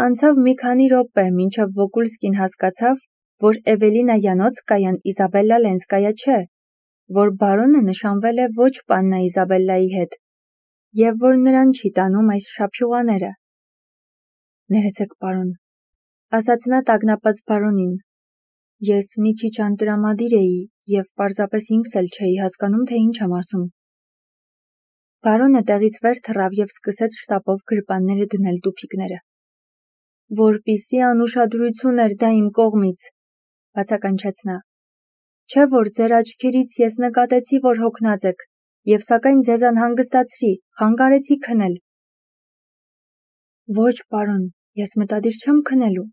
Անցավ մի քանի րոպե, մինչև Վոկուլսկին հասկացավ, որ Էվելինա Յանոցկայան Իզաբելլա Լենսկայա չէ, որ բարոնը նշանվել է ոչ պաննա Իզաբելլայի հետ, և որ նրան չի տանում այս շափյուղաները։ «Ներեցեք, պարոն», ասաց նա տագնապած բարոնին, «ես մի քիչ անտրամադիր էի և պարզապես ինքս էլ չէի հասկանում, թե ինչ եմ ասում»։ Բարոնը տեղից վեր թռավ և սկսեց շտապով գրպանները դնել տուփիկները։ «Որպիսի անուշադրություն էր դա իմ կողմից», բացականչեց նա, «չէ՞ որ ձեր աչքերից ես նկատեցի, որ հոգնած եք, և սակայն ձեզ անհանգստացրի, խանգարեցի քնել»։ «Ոչ, պարոն, ես մտադիր չեմ քնելու,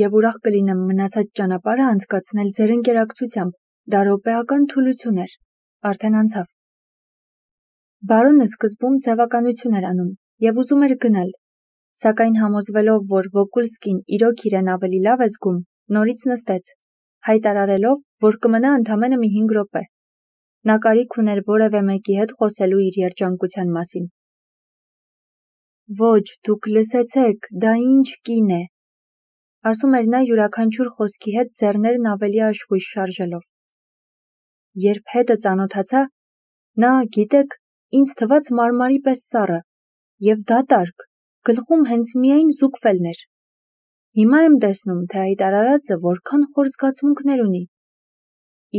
և ուրախ կլինեմ մնացած ճանապարհը անցկացնել ձեր ընկերակցությամբ, դա րոպեական թուլություն էր, արդեն անցավ»։ Բարոնը սկզբում ձևականություն էր անում և ուզում էր գնալ, սակայն համոզվելով, որ Վոկուլսկին իրոք իրեն ավելի լավ է զգում, նորից նստեց, հայտարարելով, որ կմնա ընդամենը մի 5 րոպե։ Նա կարիք ուներ որևէ մեկի հետ խոսելու իր երջանկության մասին։ «Ոչ, դուք լսեցեք, դա ինչ կին է», ասում էր նա յուրաքանչյուր խոսքի հետ ձեռներն ավելի աշխույժ շարժելով։ Երբ հետը ծանոթացա, նա, գիտեք, ինձ թվաց մարմարի պես սառը, և դատարկ, գլխում հենց միայն զուգվելն էր։ Հիմա եմ տեսնում, թե այդ արարածը որքան խոր զգացմունքներ ունի։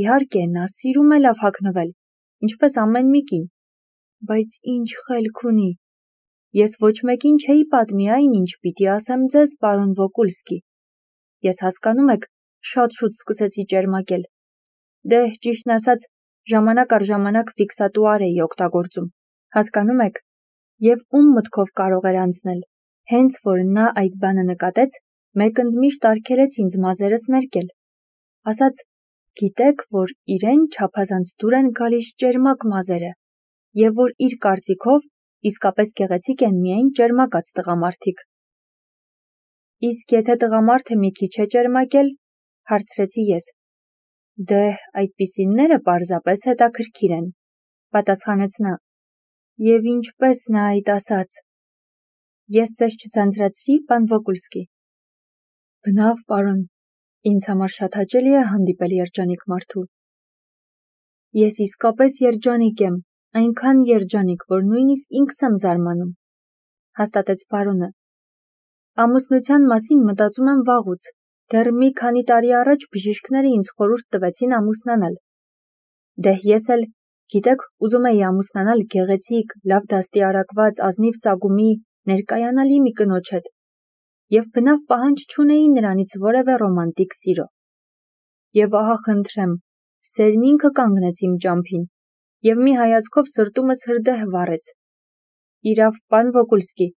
Իհարկե, նա սիրում է լավ հագնվել, ինչպես ամեն մի կին, բայց ինչ խելք ունի։ Ես ոչ մեկին չէի պատմի այն, ինչ պիտի ասեմ ձեզ, պարոն Վոկուլսկի։ Ես, հասկանում եք, շատ շուտ սկսեցի ճերմակել։ Դե, ճիշտն ասած, ժամանակ առ ժամանակ ֆիքսատուար էի օգտագործում, հասկանում եք, և ում մտքով կարող էր անցնել, հենց որ նա այդ բանը նկատեց, մեկընդմիշտ արգելեց ինձ մազերս ներկել, ասաց, գիտեք, որ իրեն չափազանց դուր են գալիս ճերմակ մազերը, և որ իր կարծիքով իսկապես գեղեցիկ են միայն ճերմակած տղամարդիկ։ Իսկ եթե տղամարդը մի քիչ է ճերմակել, հարցրեցի ես։ Դե, այդպիսինները պարզապես հետաքրքիր են, պատասխանեց նա, և ինչպես նա այդ ասաց։ Ես ձեզ չձանձրացրի, պան Վոկուլսկի։ Բնավ, պարոն, ինձ համար շատ հաճելի է հանդիպել երջանիկ մարդու։ Ես իսկապես երջանիկ եմ, այնքան երջանիկ, որ նույնիսկ ինքս եմ զարմանում, հաստատեց բարոնը։ Ամուսնության մասին մտածում եմ վաղուց, դեռ մի քանի տարի առաջ բժիշկները ինձ խորհուրդ տվեցին ամուսնանալ։ Դե ես էլ, գիտեք, ուզում էի ամուսնանալ գեղեցիկ, լավ դաստիարակված, ազնիվ ծագումի, ներկայանալի մի կնոջ հետ, և բնավ պահանջ չունեի նրանից որևէ ռոմանտիկ սիրո։ Եվ ահա խնդրեմ, սերն ինքը կանգնեց իմ ճամփին, և մի հայացքով սրտումս հրդեհ վառեց։ Իրավ, պան Վոկուլսկի,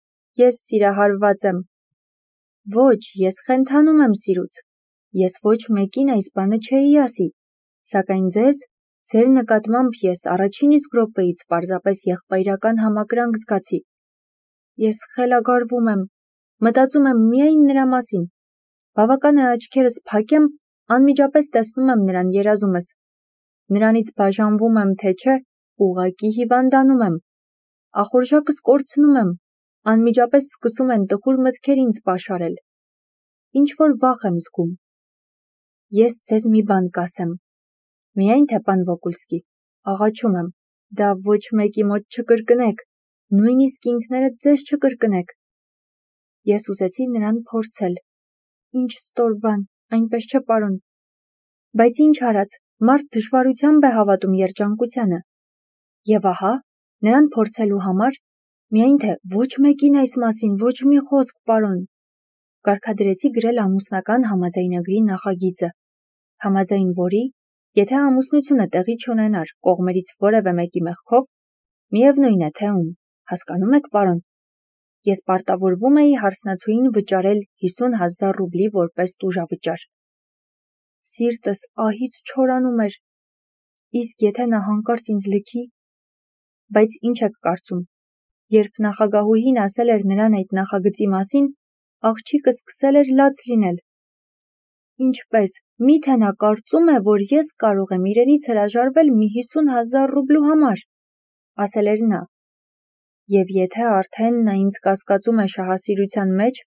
ես սիրահարված եմ։ Ոչ, ես խենթանում եմ սիրուց։ Ես ոչ մեկին այս բանը չէի ասի, սակայն ձեր նկատմամբ ես առաջին իսկ րոպեից պարզապես եղբայրական համակրանք զգացի։ Ես խելագարվում եմ, մտածում եմ միայն նրա մասին։ Բավական է աչքերս փակեմ, անմիջապես տեսնում եմ նրան երազումս։ Նրանից բաժանվում եմ, թե չէ, ուղղակի հիվանդանում եմ։ Ախորժակս կորցնում եմ, անմիջապես սկսում են տխուր մտքեր ինձ պաշարել։ Ինչ-որ վախ եմ զգում։ Ես ձեզ մի բան կասեմ։ Միայն թե, պան Վոկուլսկի, աղաչում եմ, դա ոչ մեկի մոտ չկրկնեք, նույնիսկ ինքներդ ձեզ չկրկնեք։ Ես ուզեցի նրան փորձել։ Ինչ ստոր բան, այնպես չէ, պարոն։ Բայց ինչ արած, մարդ դժվարությամբ է հավատում երջանկությանը։ Եվ ահա, նրան փորձելու համար, միայն թե ոչ մեկին այս մասին, ոչ մի խոսք, պարոն, կարգադրեցի գրել ամուսնական համաձայնագրի նախագիծը, համաձայն որի, եթե ամուսնությունը տեղի չունենար կողմերից որևէ մեկի մեղքով, միևնույն է թե ում, հասկանում եք, պարոն, ես պարտավորվում էի հարսնացուին վճարել 50,000 ռուբլի որպես տուժավճար։ Սիրտս ահից չորանում էր, իսկ եթե նա հանկարծ ինձ լքի, բայց ինչ եք կարծում, երբ նախագահուհին ասել էր նրան այդ նախագծի մասին, աղջիկը սկսել էր լաց լինել։ Ինչպես, միթե նա կարծում է, որ ես կարող եմ իրենից հրաժարվել մի 50,000 ռուբլու համար, ասել էր նա։ Եվ եթե արդեն նա ինձ կասկածում է շահասիրության մեջ,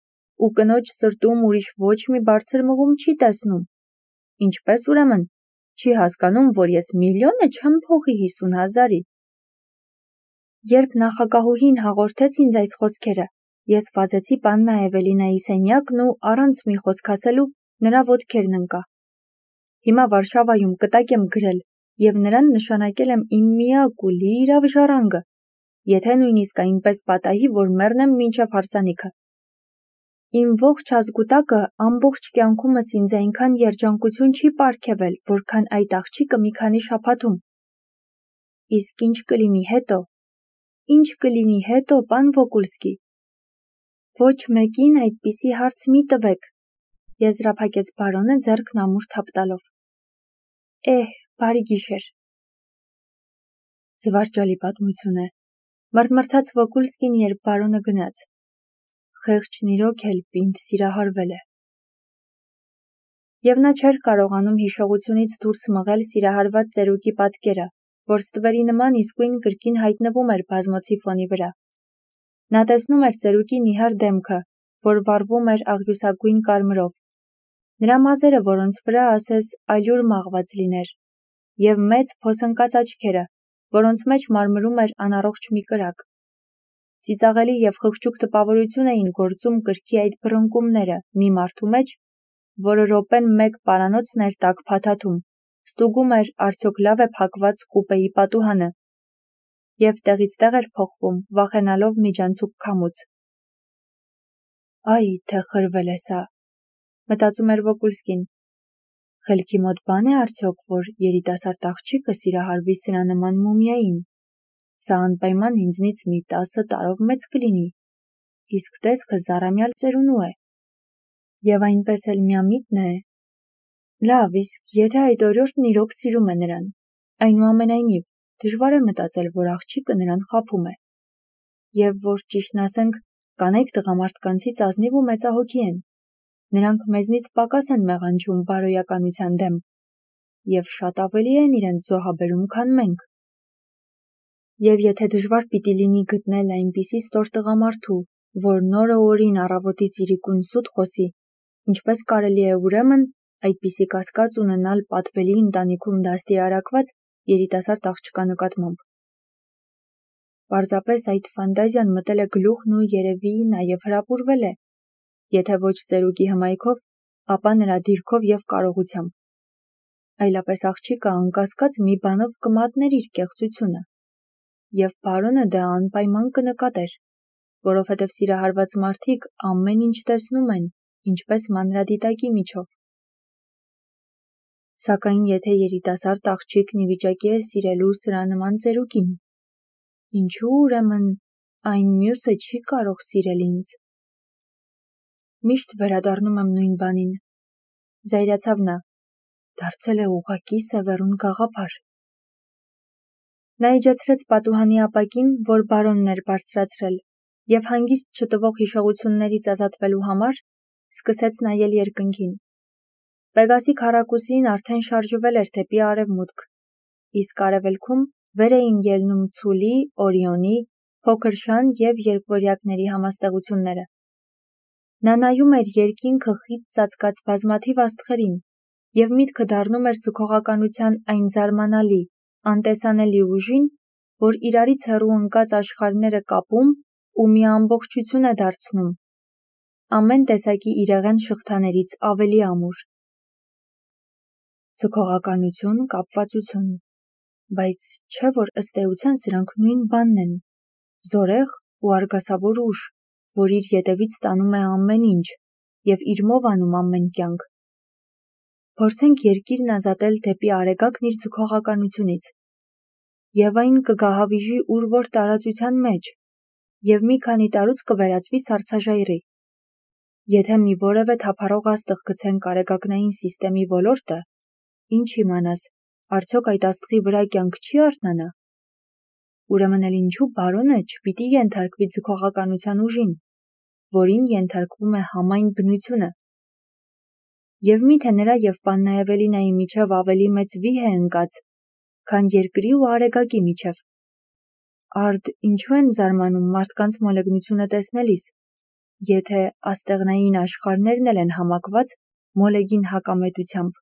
ու կնոջ սրտում ուրիշ ոչ մի բարձր մղում չի տեսնում։ Ինչպես ուրեմն, չի հասկանում, որ ես միլիոնը չեմ փոխի 50,000-ի։ Երբ նախագահուհին հաղորդեց ինձ այս խոսքերը, ես վազեցի պաննա Էվելինայի սենյակն ու առանց մի խոսք ասելու նրա ոտքերն ընկա։ Հիմա Վարշավայում կտակ եմ գրել և նրան նշանակել եմ իմ միակ ու լիիրավ ժառանգը, եթե նույնիսկ այնպես պատահի, որ մեռնեմ մինչև հարսանիքը։ Իմ ողջ ազգուտակը ամբողջ կյանքումս ինձ այնքան երջանկություն չի պարգևել, որքան այդ աղջիկը մի քանի շաբաթում։ Իսկ ինչ կլինի հետո։ Ինչ կլինի հետո, պան Վոկուլսկի։ Ոչ մեկին այդպիսի հարց մի տվեք, եզրափակեց բարոնը ձեռքն ամուր թափ տալով։ Բարի գիշեր։ Զվարճալի պատմություն է, մռթմռթաց Վոկուլսկին, երբ բարոնը գնաց։ Խեղճն իրոք էլ պինդ սիրահարվել է։ Եվ նա չէր կարողանում հիշողությունից դուրս մղել սիրահարված ծերուկի պատկերը, որ ստվերի նման իսկույն կրկին հայտնվում էր բազմոցի ֆոնի վրա։ Նա տեսնում էր ծերուկի նիհար դեմքը, որ վառվում էր աղյուսագույն կարմրով, նրա մազերը, որոնց վրա ասես ալյուր մաղված լիներ, և մեծ փոսընկած աչքերը, որոնց մեջ մարմրում էր անառողջ մի կրակ։ Ծիծաղելի և խղճուկ տպավորություն էին գործում կրքի այդ բռնկումները մի մարդու մեջ, որը րոպեն մեկ պարանոցն էր տաք փաթաթում, ստուգում էր արդյոք լավ է փակված կուպեի պատուհանը, և տեղից տեղ էր փոխվում, վախենալով միջանցիկ քամուց։ Այ, թե խրվել է սա, մտածում էր Վոկուլսկին։ Խելքի մոտ բան է արդյոք, որ երիտասարդ աղջիկը սիրահարվի սրա նման մումիային։ Սա անպայման ինձնից մի 10 տարով մեծ կլինի, իսկ տեսքը զառամյալ ծերունու է։ Եվ այնպես էլ միամիտն է։ Լավ, իսկ եթե այդ օրիորդն իրոք սիրում է նրան, այնուամենայնիվ, դժվար է մտածել, որ աղջիկը նրան խաբում է։ Եվ որ ճիշտն ասենք, կանայք տղամարդկանցից ազնիվ ու մեծահոգի են։ Նրանք մեզնից պակաս են մեղանջում բարոյականության դեմ, և շատ ավելի են իրենց զոհաբերում, քան մենք։ Եվ եթե դժվար պիտի լինի գտնել այնպիսի ստոր տղամարդու, որ նորը օրին առավոտից իրիկուն սուտ խոսի, ինչպես կարելի է ուրեմն այդպիսի կասկած ունենալ պատվելի ընտանիքում դաստիարակված երիտասարդ աղջկա նկատմամբ։ Պարզապես այդ ֆանտազիան մտել է գլուխն ու երևի նաև հրապուրվել է, եթե ոչ ծերուկի հմայքով, ապա նրա դիրքով և կարողությամբ։ Այլապես աղջիկը անկասկած մի բանով կմատներ իր կեղծությունը, և բարոնը դա անպայման կնկատեր, որովհետև սիրահարված մարդիկ ամեն ինչ տեսնում են, ինչպես մանրադիտակի միջով։ Սակայն եթե երիտասարդ աղջիկն ի վիճակի է սիրելու սրա նման ծերուկին, ինչու ուրեմն այն մյուսը չի կարող սիրել ինձ։ Միշտ վերադառնում եմ նույն բանին, զայրացավ նա, դարձել է ուղղակի սևեռուն գաղափար։ Նա իջեցրեց պատուհանի ապակին, որ բարոնն էր բարձրացրել, և հանգիստ չտվող հիշողություններից ազատվելու համար սկսեց նայել երկնքին։ Պեգասի քառակուսին արդեն շարժվել էր դեպի արևմուտք, իսկ արևելքում վեր էին ելնում Ցուլի, Օրիոնի, Փոքր Շան և երկվորյակների համաստեղությունները։ Նա նայում էր երկինքը խիտ ծածկած բազմաթիվ աստղերին, և միտքը դառնում էր ձգողականության այն զարմանալի, անտեսանելի ուժին, որ իրարից հեռու ընկած աշխարհները կապում ու մի ամբողջություն է դարձնում, ամեն տեսակի իրեղեն շղթաներից ավելի ամուր։ Ձգողականություն, կապվածություն, բայց չէ՞ որ ըստ էության սրանք նույն բանն են, զորեղ ու արգասավոր ուժ, որ իր ետևից տանում է ամեն ինչ և իր մով անում ամեն կյանք։ Փորձենք երկիրն ազատել դեպի արեգակն իր ձգողականությունից, և այն կգահավիժի ուր-որ տարածության մեջ, և մի քանի տարուց կվերածվի սառցաժայռի։ Եթե մի որևէ թափառող աստղ գցենք արեգակնային սիստեմի ոլորտը, ինչ իմանաս, արդյոք այդ աստղի վրա կյանք չի արթնանա։ Ուրեմն էլ ինչու բարոնը չպիտի ենթարկվի ձգողականության ուժին, որին ենթարկվում է համայն բնությունը։ Եվ միթե նրա և պաննա Էվելինայի միջև ավելի մեծ վիհ է ընկած, քան երկրի ու արեգակի միջև։ Արդ ինչու են զարմանում մարդկանց մոլեգնությունը տեսնելիս, եթե աստեղնային աշխարհներն էլ են համակված մոլեգին հակամետությամբ։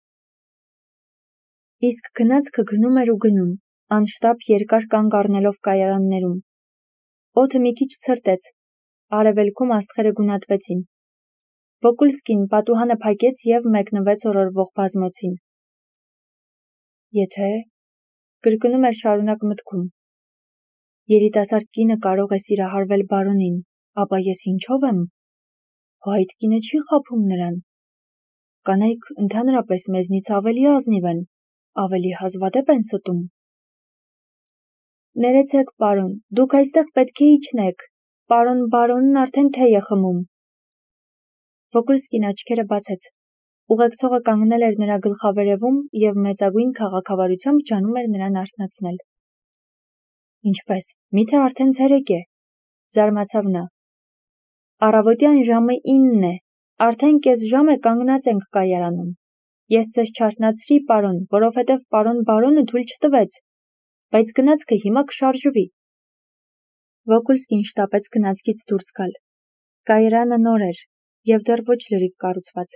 Իսկ գնացքը գնում էր ու գնում, անշտապ երկար կանգ առնելով կայարաններում։ Օդը մի քիչ ցրտեց, արևելքում աստղերը գունատվեցին։ Վոկուլսկին պատուհանը փակեց և մեկնվեց օրորվող բազմոցին։ Եթե կրկնում էր շարունակ մտքում։ Երիտասարդ կինը կարող է սիրահարվել բարոնին, ապա ես ինչով եմ։ Հո այդ կինը չի խաբում նրան։ Կանայք ընդհանրապես մեզնից ավելի ազնիվ են, ավելի հազվադեպ են ստում։ Ներեցեք, պարոն, դուք այստեղ պետք է իջնեք, բարոնն արդեն թեյ է խմում։ Վոկուլսկին աչքերը բացեց։ Ուղեկցողը կանգնել էր նրա գլխավերևում և մեծագույն քաղաքավարությամբ ջանում էր նրան արթնացնել։ Ինչպես, միթե արդեն ցերեկ է, զարմացավ նա։ Առավոտյան ժամը 9 է, արդեն կես ժամ է կանգնած ենք կայարանում։ Ես ձեզ չարթնացրի, պարոն, որովհետև բարոնը թույլ չտվեց, բայց գնացքը հիմա կշարժվի։ Վոկուլսկին շտապեց գնացքից դուրս գալ։ Կայարանը նոր էր և դեռ ոչ լրիվ կառուցված։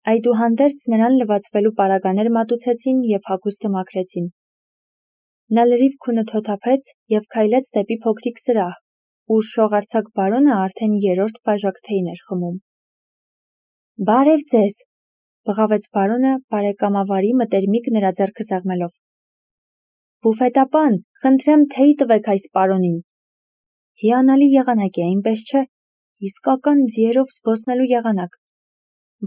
Այդուհանդերձ նրան լվացվելու պարագաներ մատուցեցին և հագուստը մաքրեցին։ Նա լրիվ քունը թոթափեց և քայլեց դեպի փոքրիկ սրահ, ուր շողարձակ բարոնը արդեն 3-րդ բաժակ թեյն էր խմում։ Բարև ձեզ, բղավեց բարոնը բարեկամավարի մտերմիկ նրա ձեռքը սեղմելով։ Բուֆետապան, խնդրեմ թեյ տվեք այս պարոնին։ Հիանալի եղանակ է, այնպես չէ, իսկական ձիերով զբոսնելու եղանակ,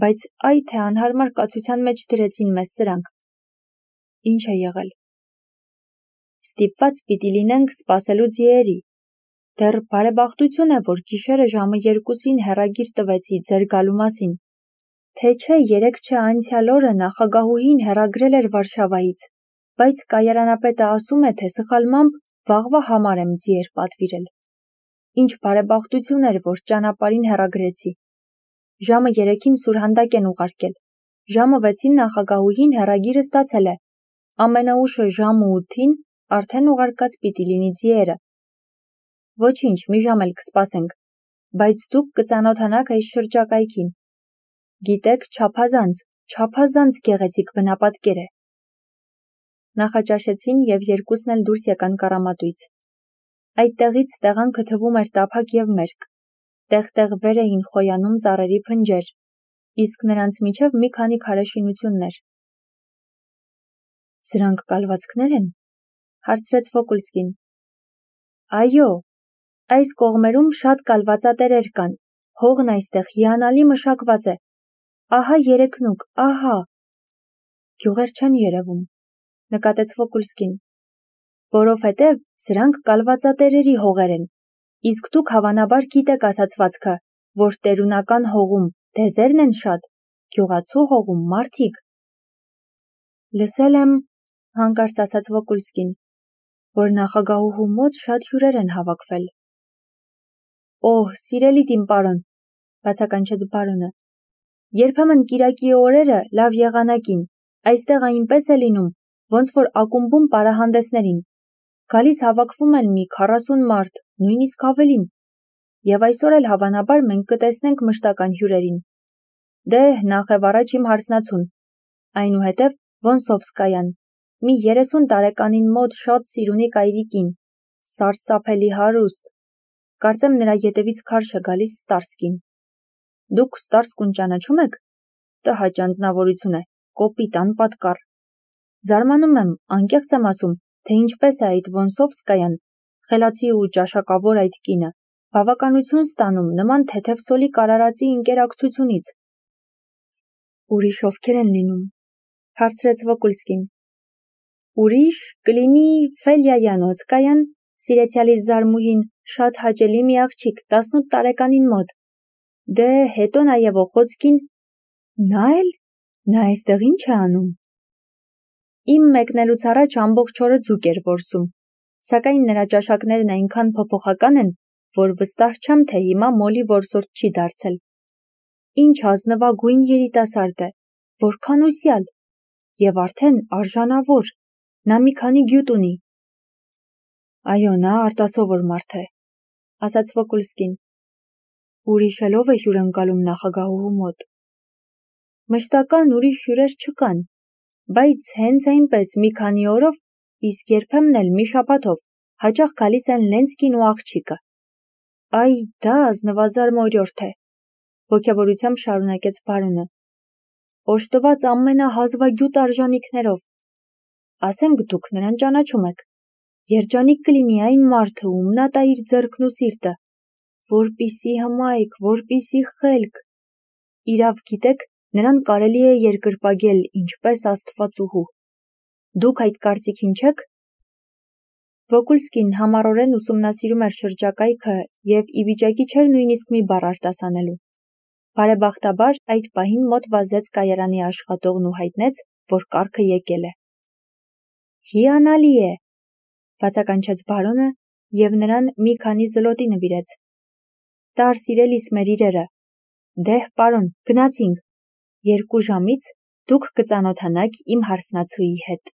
բայց այ թե անհարմար կացության մեջ դրեցին մեզ սրանք։ Ինչ է եղել։ Ստիպված պիտի լինենք սպասելու ձիերի։ Դեռ բարեբախտություն է, որ գիշերը ժամը 2-ին հեռագիր տվեցի ձեր գալու մասին։ Թե չէ 3 չէ անցյալ օրը նախագահուհին հեռագրել էր Վարշավայից, բայց կայարանապետը ասում է, թե սխալմամբ վաղվա համար եմ ձիեր պատվիրել։ Ինչ բարեբախտություն էր, որ ճանապարհին հեռագրեցի։ Ժամը 3-ին սուրհանդակ են ուղարկել։ Ժամը 6-ին նախագահուհին հեռագիրը ստացել է։ Ամենաուշը ժամը 8-ին արդեն ուղարկած պիտի լինի ձիերը։ Ոչինչ, մի ժամ էլ կսպասենք, բայց դուք կծանոթանաք այս շրջակայքին։ Գիտեք, չափազանց գեղեցիկ բնապատկեր է։ Նախաճաշեցին և երկուսն էլ դուրս եկան կառամատույց։ Այդտեղից տեղանքը թվում էր տափակ և մերկ։ Տեղ-տեղ վեր էին խոյանում ծառերի փնջեր, իսկ նրանց միջև մի քանի քարե շինություններ։ Սրանք կալվածքներ են, հարցրեց Վոկուլսկին։ Այո, այս կողմերում շատ կալվածատերեր կան, հողն այստեղ հիանալի մշակված է։ Ահա երեքնուկ, ահա։ Գյուղեր չեն երևում, նկատեց Վոկուլսկին, որովհետև սրանք կալվածատերերի հողեր են, իսկ դուք հավանաբար գիտեք ասացվածքը, որ տերունական հողում դեզերն են շատ, գյուղացու հողում մարդիկ։ Լսել եմ, հանկարծ ասաց Վոկուլսկին, որ նախագահուհու մոտ շատ հյուրեր են հավաքվել։ Օհ, սիրելի իմ պարոն, բացականչեց բարոնը, երբեմն կիրակի օրերը լավ եղանակին, այստեղ այնպես է լինում, ոնց որ ակումբում պարահանդեսներին, գալիս հավաքվում են մի 40 մարդ, նույնիսկ ավելին, և այսօր էլ հավանաբար մենք կտեսնենք մշտական հյուրերին։ Դե, նախևառաջ իմ հարսնացուն, այնուհետև Վոնսովսկայան, մի 30 տարեկանին մոտ շատ սիրունի այրիկին, սարսափելի հարուստ, կարծեմ նրա ետևից քարշ է գալիս Ստարսկին։ Դուք Ստարսկուն ճանաչում եք։ Տհաճ անձնավորություն է, կոպիտ, անպատկառ։ Զարմանում եմ, անկեղծ եմ ասում, թե ինչպես է այդ Վոնսովսկայան, խելացի ու ճաշակավոր այդ կինը, բավականություն ստանում նման թեթև սոլիկ արարածի ընկերակցությունից։ Ուրիշ ովքեր են լինում, հարցրեց Վոկուլսկին։ Ուրիշ կլինի Ֆելյայանոցկայան, սիրեցյալիս զարմուհին, շատ հաճելի մի աղջիկ, 18 տարեկանին մոտ։ Դե, հետո նաև Օխոցկին։ Նա էլ։ Նա այստեղ ինչ է անում։ Իմ մեկնելուց առաջ ամբողջ օրը ձուկ էր որսում, սակայն նրա ճաշակներն այնքան փոփոխական են, որ վստահ չեմ, թե հիմա մոլի որսորդ չի դարձել։ Ինչ ազնվագույն երիտասարդ է, որքան ուսյալ, և արդեն արժանավոր, նա մի քանի գյուտ ունի։ Այո, նա արտասովոր մարդ է, ասաց Վոկուլսկին։ Ուրիշելով է հյուրընկալում նախագահուհու մոտ։ Մշտական ուրիշ հյուրեր չկան, բայց հենց այնպես մի քանի օրով, իսկ երբեմն էլ մի շաբաթով հաճախ գալիս են Լենսկին ու աղջիկը։ Այ դա ազնվազար մորյորդ է, ոգևորությամբ շարունակեց բարոնը։ Օժտված ամենահազվագյուտ արժանիքներով։ Ասենք դուք նրան ճանաչում եք։ Երջանիկ կլինի այն մարդը, ում նա տա իր ձեռքն ու սիրտը, որպիսի հմայք, որպիսի խելք։ Իրավ գիտեք, նրան կարելի է երկրպագել ինչպես աստվածուհու։ Դուք այդ կարծիքին չեք։ Վոկուլսկին համառորեն ուսումնասիրում էր շրջակայքը և ի վիճակի չէր նույնիսկ մի բառ արտասանելու։ Բարեբախտաբար այդ պահին մոտ վազեց կայարանի աշխատողն ու հայտնեց, որ կառքը եկել է։ Հիանալի է, բացականչեց բարոնը և նրան մի քանի զլոտի նվիրեց։ Տար սիրելիս մեր իրերը։ Դեհ, պարոն, գնացինք։ 2 ժամից դուք կծանոթանաք իմ հարսնացուի հետ։